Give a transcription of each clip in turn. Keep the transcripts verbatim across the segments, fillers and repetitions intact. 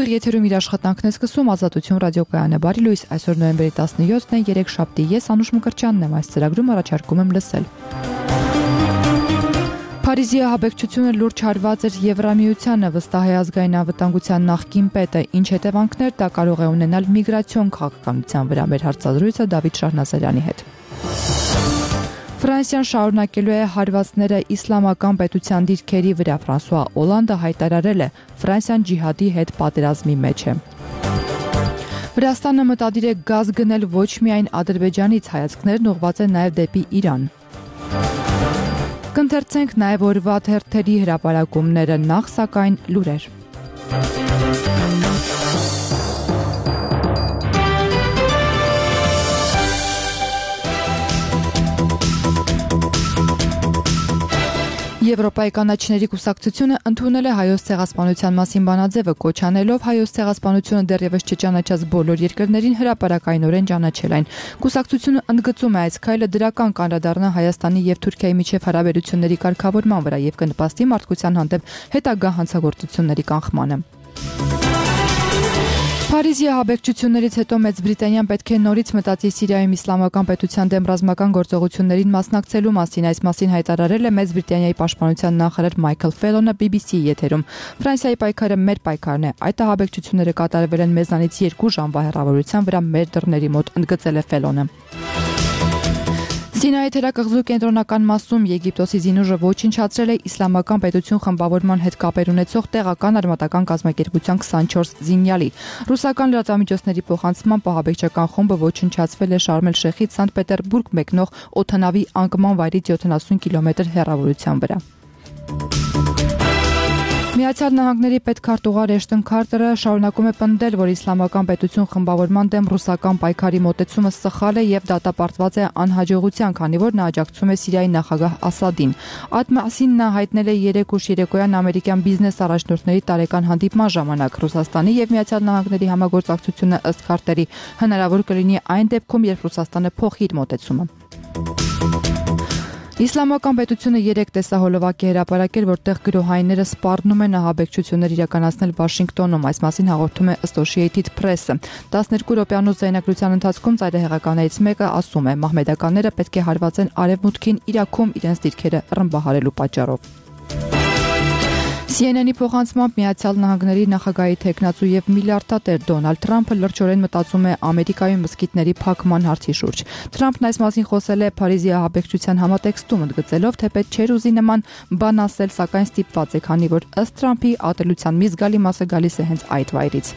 Ուղիղ եթերում իր աշխատանքն է սկսում Ազատություն ռադիոկայանը։ Բարի լույս, այսօր նոյեմբերի տասնյոթն է, երեքշաբթի, ես Անուշ Մկրտչյանն եմ, այս ծրագրում առաջարկում եմ լսել։ Փարիզի ահաբեկչությունը լուրջ հարված էր Եվրամիությանը, վստահ է ազգային անվտանգության նախկին պետը, ինչ հետևանքներ դա կարող է ունենալ միգրացիոն քաղաքականության վրա։ Մեր հարցազրույցը Դավիթ Շահնազարյանի հետ։ Ֆրանսիան շարունակելու է հարվածները իսլամական պետության դիրքերի վրա։ Ֆրանսուଆ Օլանդը հայտարարել է, Ֆրանսիան ջիհադի հետ պատերազմի մեջ է։ Վրաստանը մտադիր է գազ գնել ոչ միայն Ադրբեջանից, հայացքներն ուղղված են նաև դեպի Իրան։ Կընթերցենք նաև օրվա թերթերի հրապարակումները, նախ սակայն լուրեր։ Եվրոպայի կանաչիների կուսակցությունը ընդունել է Հայոց ցեղասպանության մասին բանաձևը, կոչ անելով Հայոց ցեղասպանությունը դեռևս չճանաչած բոլոր երկրներին հրապարակայնորեն ճանաչել այն։ Կուսակցությունը ընդգծում է այս քայլը դրական կանդրադառնա Հայաստանի եւ Թուրքիայի միջև հարաբերությունների կարգավորման վրա եւ կնպաստի մարդկության հանդեպ հետագա հանցագործությունների կանխմանը։ Փարիզի ահաբեկչություններից հետո Մեծ Բրիտանիան պետք է նորից մտածի Սիրիայում իսլամական պետության դեմ ռազմական գործողություններին մասնակցելու մասին։ Այս մասին հայտարարել է Մեծ Բրիտանիայի պաշտպանության նախարար Մայքլ Ֆելոնը բի բի սի-ի եթերում։ Ֆրանսիայի պայքարը մեր պայքարն է։ Այդ ահաբեկչությունները կատարվել են մեզանից երկու ժամվա հեռավորության վրա մեր դռների մոտ, ընդգծել է Ֆելոնը։ Սինայի թերակղզու կենտրոնական մասում Եգիպտոսի զինուժը ոչնչացրել է իսլամական պետություն խմբավորման հետ կապեր ունեցող տեղական արմատական կազմակերպության քսանչորս զինյալի։ Ռուսական լրատվամիջոցների փոխանցմամբ ահաբեկչական խումբը ոչնչացվել է Շարմ էլ-Շեխից Սանտ Պետերբուրգ մեկնող օդանավի անկման վայրից յոթանասուն կիլոմետր հեռավորության վրա։ Միացյալ Նահանգների պետքարտուղար Էշտոն Քարթերը շարունակում է պնդել, որ իսլամական պետություն խմբավորման դեմ ռուսական պայքարի մոտեցումը սխալ է եւ դատապարտված է անհաջողության, քանի որ նա աջակցում է Սիրիայի նախագահ Ասադին։ Այդ մասին նա հայտնել է երեկ ուշ երեկոյան ամերիկյան բիզնես առաջնորդների տարեկան հանդիպման ժամանակ։ Ռուսաստանի եւ Միացյալ Նահանգների համագործակցությունը ըստ Քարթերի հնարավոր կլինի այն դեպքում, երբ Ռուսաստանը փոխի իր մոտեցումը։ Իսլամական պետությունը երեք տեսահոլովակ է հրապարակել, որտեղ գրոհայինները սպառնում են ահաբեկչություններ իրականացնել Վաշինգտոնում։ Այս մասին հաղորդում է Associated Press-ը։ տասներկու րոպեանոց ձայնագրության ընթացքում ծայրահեղականներից մեկը ասում է, մահմեդականները պետք է հարվածեն արևմուտքին Իրաքում իրենց դիրքերը ռմբահարելու պատճառով։ Սի Են Են-ի փոխանցմամբ Միացյալ Նահանգների նախագահի թեկնածու եւ միլիարդատեր Դոնալդ Թրամփը լրջորեն մտածում է Ամերիկայում մզկիթների փակման հարցի շուրջ։ Թրամփն այս մասին խոսել է Փարիզի ահաբեկչության համատեքստում, ընդգծելով, թե պետք չէր ուզի նման բան ասել, սակայն ստիպված է, քանի որ ըստ Թրամփի ատելության մի զգալի մասը գալիս է հենց այդ վայրից։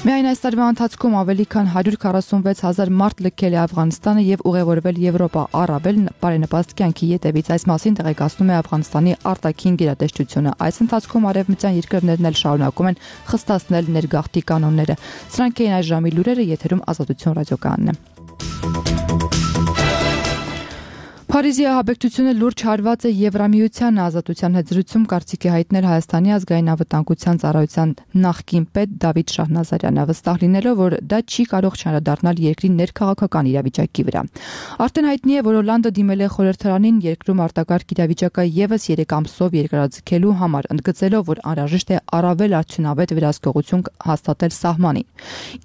Միայն այս տարվա ընթացքում ավելի քան հարյուր քառասունվեց հազար մարդ լքել է Աֆղանստանը եւ ուղևորվել Եվրոպա, առավել բարենպաստ կյանքի ետևից։ Այս մասին տեղեկացնում է Աֆղանստանի արտաքին գերատեսչությունը։ Այս ընթացքում արևմտյան երկրներն էլ շարունակում են խստացնել ներգաղթի կանոնները։ Սրանք էին այս ժամի լուրերը, եթերում Ազատություն ռադիոկայանն է։ Փարիզի ահաբեկչությունը լուրջ հարված է Եվրամիությանը, Ազատության հետ զրույցում կարծիք է հայտնել Հայաստանի ազգային անվտանգության ծառայության նախկին պետ Դավիթ Շահնազարյանը, վստահ լինելով, որ դա չի կարող չանդրադառնալ երկրի ներքաղաքական իրավիճակի վրա։ Արդեն հայտնի է, որ Օլանդը դիմել է խորհրդարանին երկրում արտակարգ իրավիճակը եւս երեք ամսով երկարաձգելու համար, ընդգծելով, որ անհրաժեշտ է առավել արդյունավետ վերահսկողություն հաստատել սահմանին։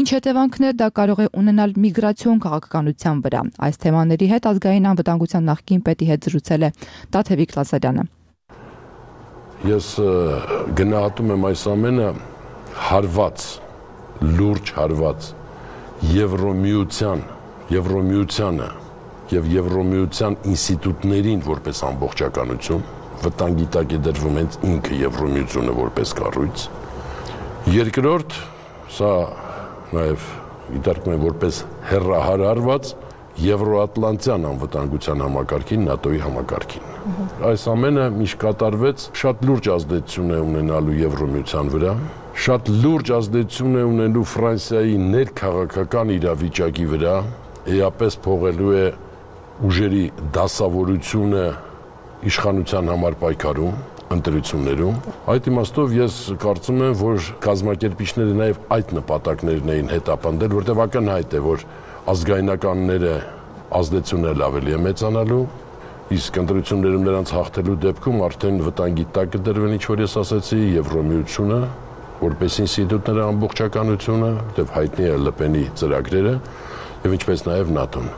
Ինչ հետևանքներ դա կարող է ունենալ միգրացիոն քաղաքականության վրա։ Այս թեմաների հետ ազգային անվտանգության նախկին պետի հետ զրուցել է Տաթևիկ Լազարյանը։ Ես գնահատում եմ այս ամենը հարված, լուրջ հարված Եվրոմիության, Եվրոմիությանը եւ Եվրոմիության ինստիտուտներին որպես ամբողջականություն, վտանգի տակ է դրվում հենց ինքը Եվրոմիությունը որպես կառույց։ Երկրորդ, սա նաեւ դիտարկում եմ որպես հեռահար հարված Եվրոատլանտյան անվտանգության համակարգին, ՆԱՏՕ-ի համակարգին։ Այս ամենը միշտ կատարվեց, շատ լուրջ ազդեցություն է ունենալու Եվրոմիության վրա, շատ լուրջ ազդեցություն է ունենալու Ֆրանսիայի ներքաղաքական իրավիճակի վրա, էապես փողելու է ուժերի դասավորությունը իշխանության համար պայքարում, ընտրություններում։ Այդ իմաստով ես կարծում եմ, որ կազմակերպիչները նաև այդ նպատակներն էին հետապնդել, որտեղ ակնհայտ է, որ ազգայնականները ազդեցությունն ավելի է մեծանալու, իսկ ընտրություններում նրանց հաղթելու դեպքում արդեն վտանգի տակ կդրվեն, ինչ որ ես ասացի, Եվրոմիությունը, որպես ինստիտուտների ամբողջականությունը, որտեղ հայտնի է Լը Պենի ծրագրերը եւ ինչպես նաեւ ՆԱՏՕ-ն։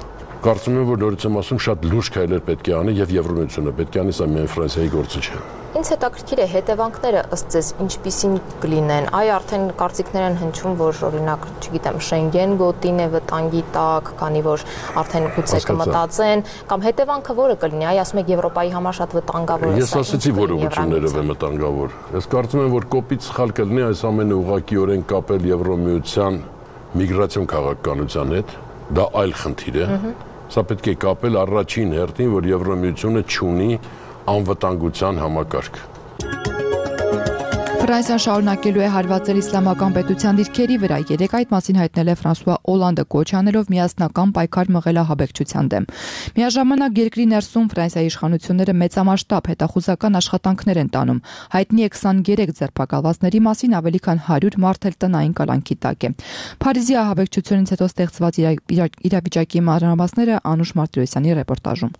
Կարծում եմ, որ նորից եմ ասում, շատ լուրջ քայլեր պետք է անի եւ Եվրամիությունը պետք է անի, սա միայն Ֆրանսիայի գործը չէ։ Ինձ հետաքրքիր է հետևանքները ըստ ձեզ ինչպիսին կլինեն։ Այ արդեն կարծիքներ են հնչում, որ օրինակ, չգիտեմ, Շենգեն գոտին է վտանգի տակ, քանի որ արդեն գուցե կմտածեն, կամ հետևանքը որը կլինի։ Այ ասում եք Եվրոպայի համար շատ վտանգավոր է։ Ես ասացի, որ ուղղություններով է վտանգավոր։ Ես կարծում եմ, որ կոպիտ սխալ կլինի այս ամենը ուղղակիորեն կապել Եվրամիության միգրացիոն քաղաքականության հետ, դա այլ խնդիր է։ Սա պետք է կապել առաջին հերթին, որ Եվրամիությունը չունի անվտանգության համակարգ։ Ֆրանսիան շարունակելու է հարվածել իսլամական պետության դիրքերի վրա։ Երեկ այդ մասին հայտնել է Ֆրանսուଆ Օլանդը, կոչ անելով միասնական պայքար մղել ահաբեկչության դեմ։ Միաժամանակ երկրի ներսում Ֆրանսիայի իշխանությունները մեծամասշտաբ հետախուզական աշխատանքներ են տանում։ Հայտնի է քսաներեք ձերբակալվածների մասին, ավելի քան հարյուր մարդ էլ տնային կալանքի տակ է։ Փարիզի ահաբեկչությունից հետո ստեղծված իրավիճակի մանրամասները Անուշ Մարտիրոսյանի ռեպորտաժում։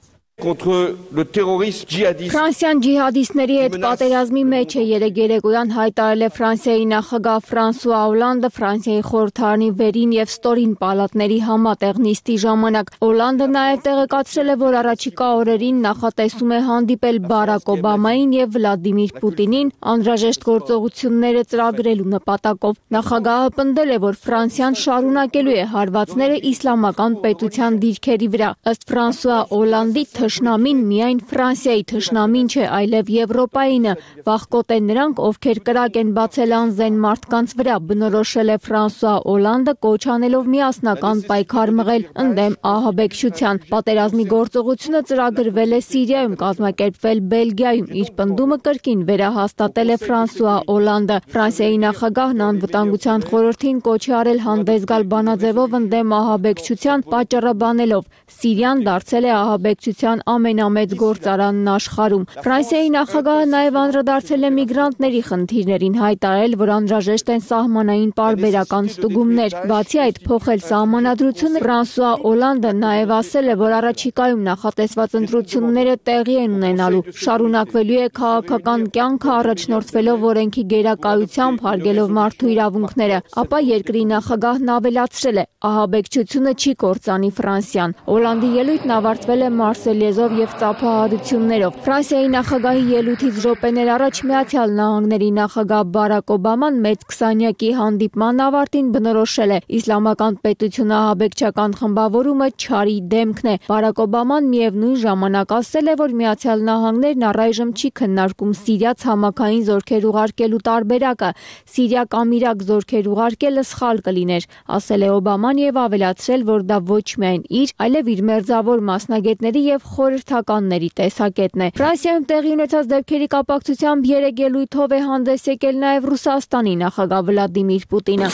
Ֆրանսիան ջիհադիստների հետ պատերազմի մեջ է։ Երեկ երեկոյան հայտարարել է Ֆրանսիայի նախագահ Ֆրանսուଆ Օլանդը Ֆրանսիայի խորհրդարանի վերին եւ ստորին պալատների համատեղ նիստի ժամանակ։ Օլանդը նաեւ տեղեկացրել է, որ առաջիկա օրերին նախատեսում է հանդիպել Բարակ Օբամային եւ Վլադիմիր Պուտինին անհրաժեշտ գործողությունները ծրագրելու նպատակով։ Նախագահը պնդել է, որ Ֆրանսիան շարունակելու է հարվածները իսլամական պետության դիրքերի վրա։ Ըստ Ֆրանսուଆ Օլանդի Թշնամին միայն Ֆրանսիայի թշնամին չէ, այլև Եվրոպայինը, վախկոտ են նրանք, ովքեր կրակ են բացել անզեն մարդկանց վրա, բնորոշել է Ֆրանսուଆ Օլանդը, կոչ անելով միասնական պայքար մղել ընդդեմ ահաբեկչության։ Պատերազմի գործողությունը ծրագրվել է Սիրիայում, կազմակերպվել Բելգիայում, իր պնդումը կրկին վերահաստատել է Ֆրանսուଆ Օլանդը։ Ֆրանսիայի նախագահն անվտանգության խորհրդին կոչ է արել հանդես գալ բանաձևով ընդդեմ ահաբեկչության, պատճառաբանելով Սիրիան դարձել է ահաբեկչության ամենամեծ գործարանն աշխարհում։ Ֆրանսիայի նախագահը նաև անդրադարձել է միգրանտների խնդիրներին, հայտարարել, որ անհրաժեշտ են սահմանային պարբերական ստուգումներ։ Բացի այդ, փոխել սահմանադրությունը Ֆրանսուଆ Օլանդը նաև ասել է, որ առաջիկայում նախատեսված ընտրությունները տեղի են ունենալու։ Շարունակվելու է քաղաքական կյանքը առաջնորդվելով օրենքի գերակայությամբ, հարգելով մարդու իրավունքները։ Ապա երկրի նախագահն ավելացրել է. ահաբեկչությունը չի կործանի Ֆրանսիան։ Օլանդի ելույթն ավարտվել է մարսելիեզով եւ ծափահարություններով։ Ֆրանսիայի նախագահի ելույթից րոպեներ առաջ Միացյալ Նահանգների նախագահ Բարակ Օբաման մեծ քսանյակի հանդիպման ավարտին բնորոշել է. իսլամական պետությունը ահաբեկչական խմբավորումը չարի դեմքն է։ Բարակ Օբաման միևնույն ժամանակ ասել է, որ Միացյալ Նահանգներն առայժմ չի քննարկում Սիրիա ցամաքային զորքեր ուղարկելու տարբերակը։ Սիրիա կամ Իրաք զորքեր ուղարկելը սխալ կլիներ, ասել է Օբաման եւ ավելացրել, որ դա ոչ միայն իր, այլև իր մերձավոր մասնագետների եւ խորհրդականների տեսակետն է։ Ֆրանսիայում տեղի ունեցած դեպքերի կապակցությամբ երեք ելույթով է հանդես եկել նաեւ Ռուսաստանի նախագահ Վլադիմիր Պուտինը։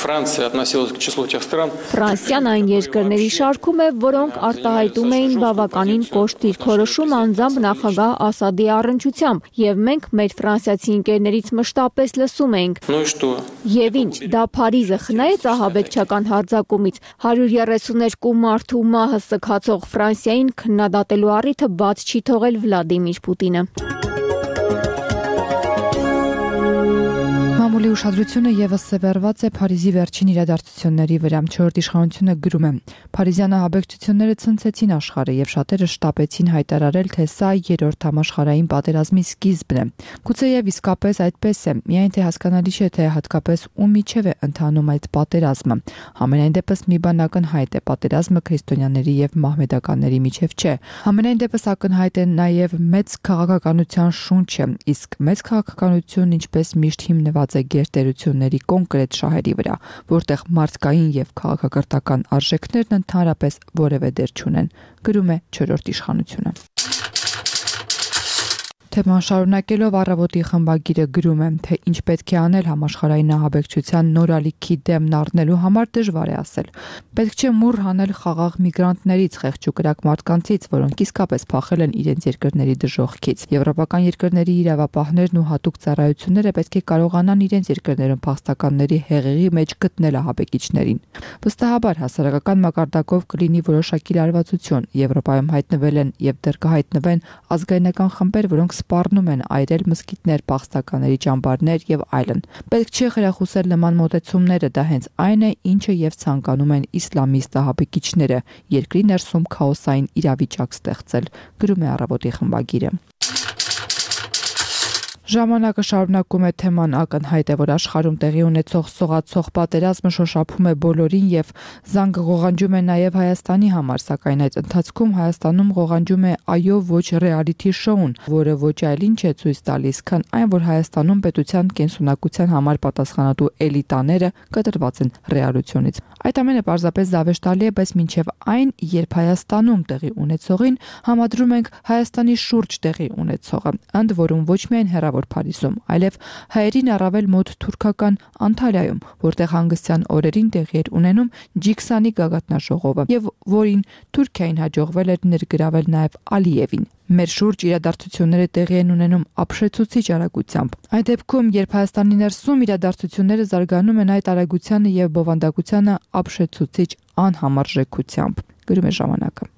Ֆրանսիան այն երկրների շարքում է, որոնք արտահայտում էին բավականին կոշտ դիրքորոշում անձամբ նախագահ Ասադի առնչությամբ, եւ մենք մեր ֆրանսիացի ընկերներից մշտապես լսում ենք։ Եվ ինչ, դա Փարիզը խնայեց ահաբեկչական հարձակումից։ հարյուր երեսուներկու մարդու մահը սգացող Ֆրանսիային քննադատելու առիթը բաց չի թողել Վլադիմիր Պուտինը։ Մամուլի ուշադրությունը եւս սևեռված է Փարիզի վերջին իրադարձությունների վրա։ Չորրորդ իշխանությունը գրում է. Փարիզյան ահաբեկչությունները ցնցեցին աշխարհը եւ շատերը շտապեցին հայտարարել, թե սա երրորդ համաշխարհային պատերազմի սկիզբն է։ Գուցեև իսկապես այդպես է, միայն թե հասկանալի չէ, թե հատկապես ում միջև է ընթանում այդ պատերազմը։ Համենայն դեպս մի բան ակնհայտ է, պատերազմը քրիստոնյաների եւ մահմեդականների միջև չէ։ Համենայն դեպս ակնհայտ է նաեւ մեծ քաղաքականության շունչը, իսկ մեծ քաղաքականությունն ինչպես միշտ հիմնված է գերտերությունների կոնկրետ շահերի վրա, որտեղ մարդկային եւ քաղաքակրթական արժեքներն ընդհանրապես որևէ դեր չունեն, գրում է չորրորդ իշխանությունը։ Թեման շարունակելով առավոտի խմբագիրը գրում է, թե ինչ պետք է անել համաշխարհային ահաբեկչության նոր ալիքի դեմն առնելու համար դժվար է ասել։ Պետք չէ մուռ հանել խաղաղ միգրանտներից, խեղճուկրակ մարդկանցից, որոնք իսկապես փախել են իրենց երկրների դժոխքից։ Եվրոպական երկրների իրավապահներն ու հատուկ ծառայությունները պետք է կարողանան իրենց երկրներում փախստականների հեղեղի մեջ գտնել ահաբեկիչներին։ Վստահաբար հասարակական մակարդակով կլինի որոշակի լարվածություն։ Եվրոպայում հայտնվել են եւ դեռ կհայտնվեն ազգայնական խմբեր, որոնք սպառնում են այրել մզկիթներ, փախստականների ճամբարներ եւ այլն։ Պետք չէ խրախուսել նման մոտեցումները, դա հենց այն է, ինչը եւ ցանկանում են իսլամիստ ահաբեկիչները՝ երկրի ներսում քաոսային իրավիճակ ստեղծել, գրում է Առավոտի խմբագիրը։ Ժամանակը շարունակում է թեման ակնհայտ է, որ աշխարհում տեղի ունեցող սողացող պատերազմը շոշափում է բոլորին եւ զանգը ղողանջում է նաեւ Հայաստանի համար, սակայն այդ ընթացքում Հայաստանում ղողանջում է այո ոչ ռեալիթի շոուն, որը ոչ այլ ինչ է ցույց տալիս, քան այն, որ Հայաստանում պետության կենսունակության համար պատասխանատու էլիտաները կտրված են ռեալությունից։ Այդ ամենը պարզապես զավեշտալի է, բայց մինչև այն, երբ Հայաստանում տեղի ունեցողին համադրում ենք Հայաստանի շուրջ տեղի ունեցողը, ընդ որում ոչ միայն հեռավոր Փարիզում, այլև հայերին առավել մոտ թուրքական Անտալիայում, որտեղ հանգստյան օրերին տեղի էր ունենում Ջիքսանի գագաթնաժողովը, եւ որին Թուրքիային հաջողվել էր ներգրավել նաեւ Ալիևին։ Մեր շուրջ իրադարձությունները տեղի են ունենում ապշեցուցիչ արագությամբ։ Այդ դեպքում, երբ Հայաստանի ներսում իրադարձությունները զարգանում են այդ արագությանը եւ բովանդակությանը ապշեցուցիչ անհամարժեքությամբ, գրում է ժամանակը։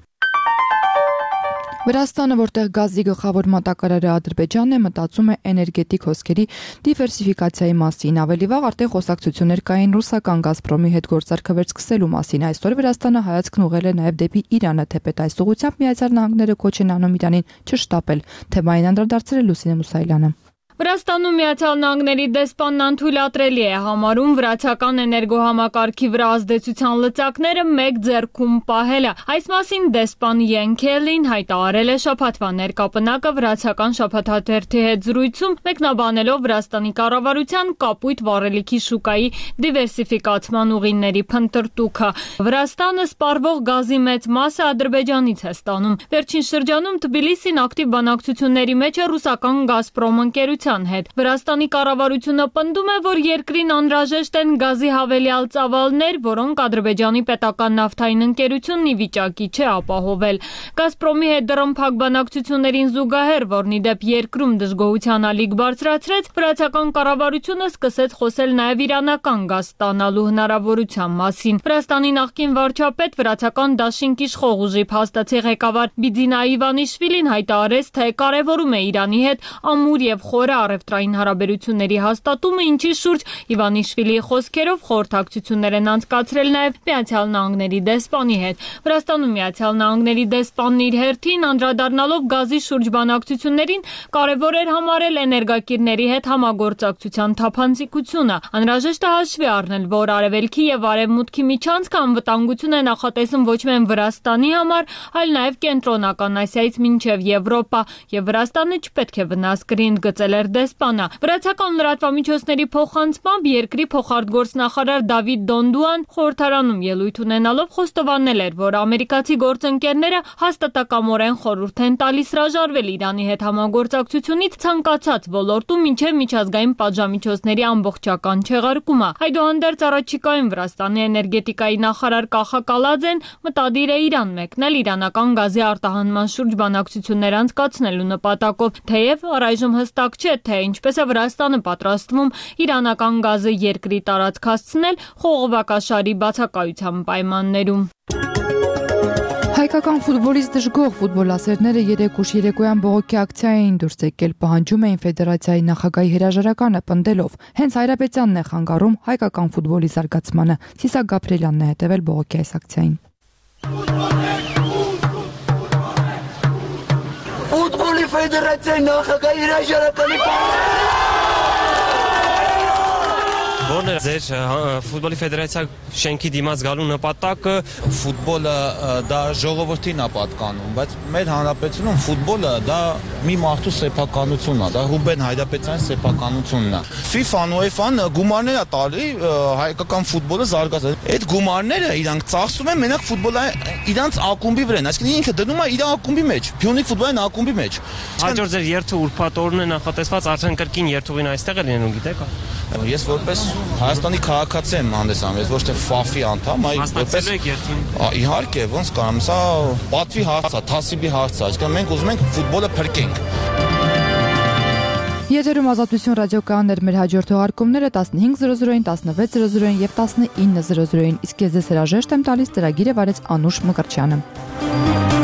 Վրաստանը, որտեղ գազի գլխավոր մատակարարը Ադրբեջանն է, մտածում է էներգետիկ հոսքերի դիվերսիֆիկացիայի մասին։ Ավելի վաղ արդեն խոսակցություններ կային ռուսական Գազպրոմի հետ գործարքը վերսկսելու մասին։ Այսօր Վրաստանը հայացքն ուղղել է նաև դեպի Իրանը, թեպետ այս ուղղությամբ Միացյալ Նահանգները կոչ են անում Իրանին չշտապել։ Թեմային անդրադարձել է Լուսինե Մուսայելյանը։ Վրաստանում Միացյալ Նահանգների դեսպանն անթույլատրելի է համարում վրացական էներգոհամակարգի վրա ազդեցության լծակները մեկ ձեռքում պահելը։ Այս մասին դեսպան Յեն Քելին հայտարարել է շաբաթվա ներկապնակը վրացական շաբաթաթերթի հետ զրույցում, մեկնաբանելով Վրաստանի կառավարության կապույտ վառելիքի շուկայի դիվերսիֆիկացման ուղիների փնտրտուքը։ Վրաստանը սպառվող գազի մեծ մասը Ադրբեջանից է ստանում։ Վերջին շրջանում Թբիլիսին ակտիվ բանակցությունների մեջ է ռուսական Գազպրոմ ընկերության հետ։ Վրաստանի կառավարությունը պնդում է, որ երկրին անհրաժեշտ են գազի հավելյալ ծավալներ, որոնք Ադրբեջանի պետական նավթային ընկերությունն ի վիճակի չէ ապահովել։ Գազպրոմի հետ դռնփակ բանակցություններին զուգահեռ, որն ի դեպ երկրում դժգոհության ալիք բարձրացրեց, վրացական կառավարությունը սկսեց խոսել նաև իրանական գազ ստանալու հնարավորության մասին։ Վրաստանի նախկին վարչապետ, վրացական դաշինք իշխող ուժի փաստացի ղեկավար Բիձինա Իվանիշվիլին հայտարարեց, թե կարևորում է Իրանի հետ ամուր եւ խորը առևտրային հարաբերությունների հաստատումը, ինչի շուրջ Իվանիշվիլիի խոսքերով խորհրդակցություններ են անցկացրել նաև Միացյալ Նահանգների դեսպանի հետ։ Վրաստանում Միացյալ Նահանգների դեսպանն իր հերթին անդրադառնալով գազի շուրջ բանակցություններին կարևոր էր համարել էներգակիրների հետ համագործակցության թափանցիկությունը։ Անհրաժեշտ է հաշվի առնել, որ Արևելքի եւ Արևմուտքի միջանցքը անվտանգություն է նախատեսում ոչ միայն Վրաստանի համար, այլ նաև Կենտրոնական Ասիայից մինչև Եվրոպա, եւ Վրաստանը չպետք է վնաս կրի, ընդգծել էր դեսպանը։ Վրացական լրատվամիջոցների փոխանցմամբ երկրի փոխարտգործնախարար Դավիթ Դոնդուան խորհրդարանում ելույթ ունենալով խոստովանել էր, որ ամերիկացի գործընկերները հաստատակամորեն խորհուրդ են տալիս հրաժարվել Իրանի հետ համագործակցությունից ցանկացած ոլորտում մինչև միջազգային պատժամիջոցների ամբողջական չեղարկումը։ Այդուհանդերձ առաջիկայում Վրաստանի էներգետիկայի նախարար Կախա Կալաձեն մտադիր է Իրան մեկնել իրանական գազի արտահանման շուրջ բանակցություններ անցկացնելու նպատակով, թեև առայժմ հստակ չէ, թե ինչպես է Վրաստանը պատրաստվում իրանական գազը երկրի տարածք հասցնել խողովակաշարի բացակայության պայմաններում։ Հայկական ֆուտբոլից դժգոհ ֆուտբոլասերները երեկ ուշ երեկոյան բողոքի ակցիա էին դուրս եկել, պահանջում էին ֆեդերացիայի նախագահի հրաժարականը պնդելով։ Հենց Հայրապետյանն է խանգարում հայկական ֆուտբոլի զարգացմանը։ Սիսակ Գաբրելյանն է հետևել բողոքի այս ակցիային։ Ֆուտբոլի ֆեդերացիայի նախագահի հրաժարականի Որն է ձեր ֆուտբոլի ֆեդերացիա շենքի դիմաց գալու նպատակը? Ֆուտբոլը դա ժողովրդին է պատկանում, բայց մեր հանրապետությունում ֆուտբոլը դա մի մարդու սեփականությունն է, դա Ռուբեն Հայրապետյանի սեփականությունն է։ FIFA-ն ու UEFA-ն գումարներ է տալի հայկական ֆուտբոլը զարգացնել։ Այդ գումարները իրանք ծախսում են մենակ ֆուտբոլը իրանց ակումբի վրա, այսինքն ինքը դնում է իր ակումբի մեջ, Փյունիկ ֆուտբոլային ակումբի մեջ։ Հաջորդ ձեր երթը ուրբաթ օրն է նախատեսված, արդեն կրկին երթուղին այստեղ է լինում, գիտեք։ Ես որպես Հայաստանի քաղաքացի եմ հանդեսանում, ես ոչ թե ֆաֆի անդամ, այլ որպես իհարկե, ոնց կարամ, սա պատվի հարց է, թասիբի հարց է, այսինքն մենք ուզում ենք ֆուտբոլը փրկենք։ Եթերում Ազատություն ռադիոկայանն էր, մեր հաջորդ թողարկումները տասնհինգ զրո զրոին, տասնվեց զրո զրոին եւ տասնինը զրո զրոին, իսկ ես ձեզ հրաժեշտ եմ տալիս ծրագիրը վարեց Անուշ Մկրտչյանը։